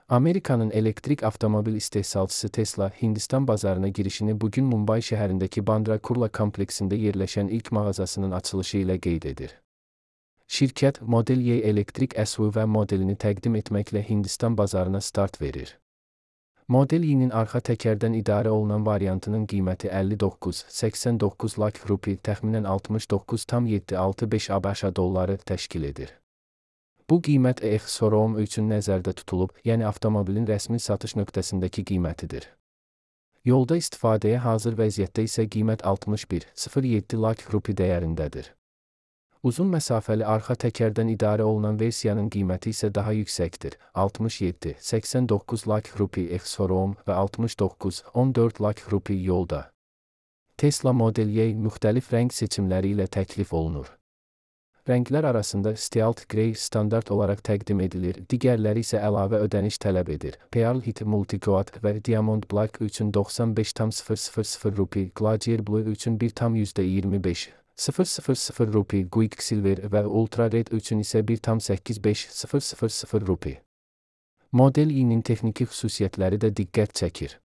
Amerika'nın elektrik avtomobil istehsalçısı Tesla, Hindistan bazarına girişini bugün Mumbai şehrindeki Bandra Kurla kompleksinde yerleşen ilk mağazasının açılışı ile qeyd edir. Şirkət, Model Y elektrik SUV modelini təqdim etməklə Hindistan bazarına start verir. Model Y-nin arxa təkərdən idarə olunan variantının qiyməti 59,89 lakh rupi, təxminən 69,765 ABŞ dolları təşkil edir. Bu qiymət ex-showroom üçün nəzərdə tutulub, yəni avtomobilin rəsmi satış nöqtəsindəki qiymətidir. Yolda istifadəyə hazır vəziyyətdə isə qiymət 61,07 lakh rupi dəyərindədir. Uzun məsafəli arxa təkərdən idarə olunan versiyanın qiyməti isə daha yüksəkdir, 67,89 lakh rupi ex-showroom və 69,14 lakh rupi yolda. Tesla Model Y müxtəlif rəng seçimləri ilə təklif olunur. Rənglər arasında Stealth Grey standart olaraq təqdim edilir, digərləri isə əlavə ödəniş tələb edir. Pearl Hit Multicoat və Diamond Black üçün 95,000 rupi, Glacier Blue üçün 1,25,000 rupi, Quicksilver və Ultra Red üçün isə 1,85,000 rupi. Model Y-nin texniki xüsusiyyətləri də diqqət çəkir.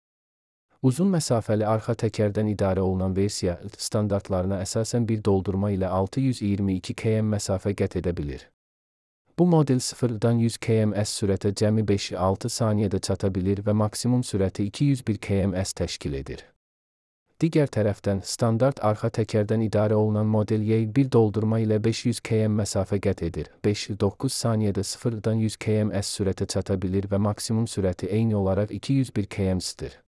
Uzun məsafəli arxa təkərdən idarə olunan versiya, standartlarına əsasən bir doldurma ilə 622 km məsafə qət edə bilir. Bu model 0-dan 100 km/s sürətə cəmi 5-6 saniyədə çata bilir və maksimum sürəti 201 km/s təşkil edir. Digər tərəfdən, standart arxa təkərdən idarə olunan Model Y bir doldurma ilə 500 km məsafə qət edir, 5-9 saniyədə 0-dan 100 km/s sürətə çata bilir və maksimum sürəti eyni olaraq 201 km/s-dir.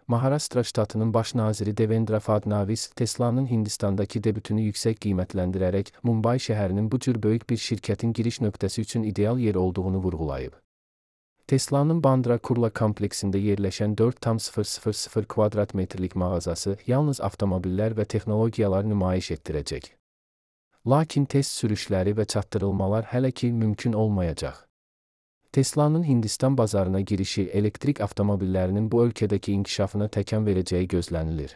Maharashtra ştatının baş naziri Devendra Fadnavis, Tesla'nın Hindistandakı debütünü yüksək qiymətləndirərək, Mumbai şəhərinin bu cür böyük bir şirkətin giriş nöqtəsi üçün ideal yer olduğunu vurğulayıb. Tesla'nın Bandra Kurla kompleksində yerləşən 4,000 kvadrat metrlik mağazası yalnız avtomobillər və texnologiyalar nümayiş etdirəcək. Lakin test sürüşləri və çatdırılmalar hələ ki mümkün olmayacaq. Tesla'nın Hindistan bazarına girişi elektrik avtomobillərinin bu ölkədəki inkişafına təkan verəcəyi gözlənilir.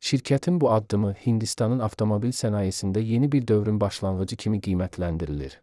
Şirkətin bu addımı Hindistanın avtomobil sənayesində yeni bir dövrün başlanğıcı kimi qiymətləndirilir.